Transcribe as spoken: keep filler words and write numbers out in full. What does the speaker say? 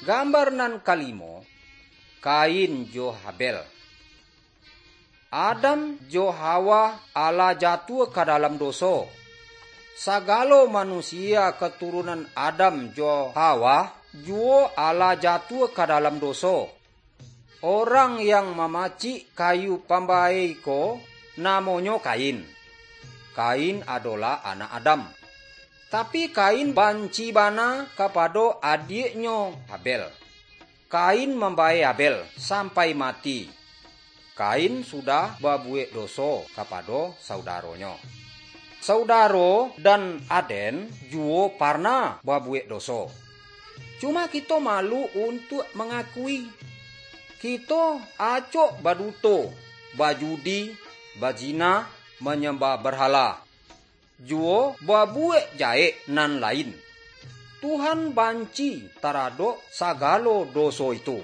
Gambar nan kalimo, Kain jo Habel. Adam jo Hawa alah jatuah ka dalam doso. Sagalo manusia katurunan Adam jo Hawa juwo alah jatuah ka dalam doso. Orang yang mamacik kayu pambae ko namonyo Kain. Kain adolah anak Adam. Tapi Kain banci bana kapado adiaknyo Habel. Kain mambae Habel sampai mati. Kain sudah babuwek doso kapado saudaronyo. Saudaro dan aden juwo parnah babuwek doso. Cuma kito malu untuak mangakui. Kito acok baduto, bajudi, bazina, manyambah barhala, juwo babuwek jahek nan lain. Tuhan banci taradok sagalo doso itu.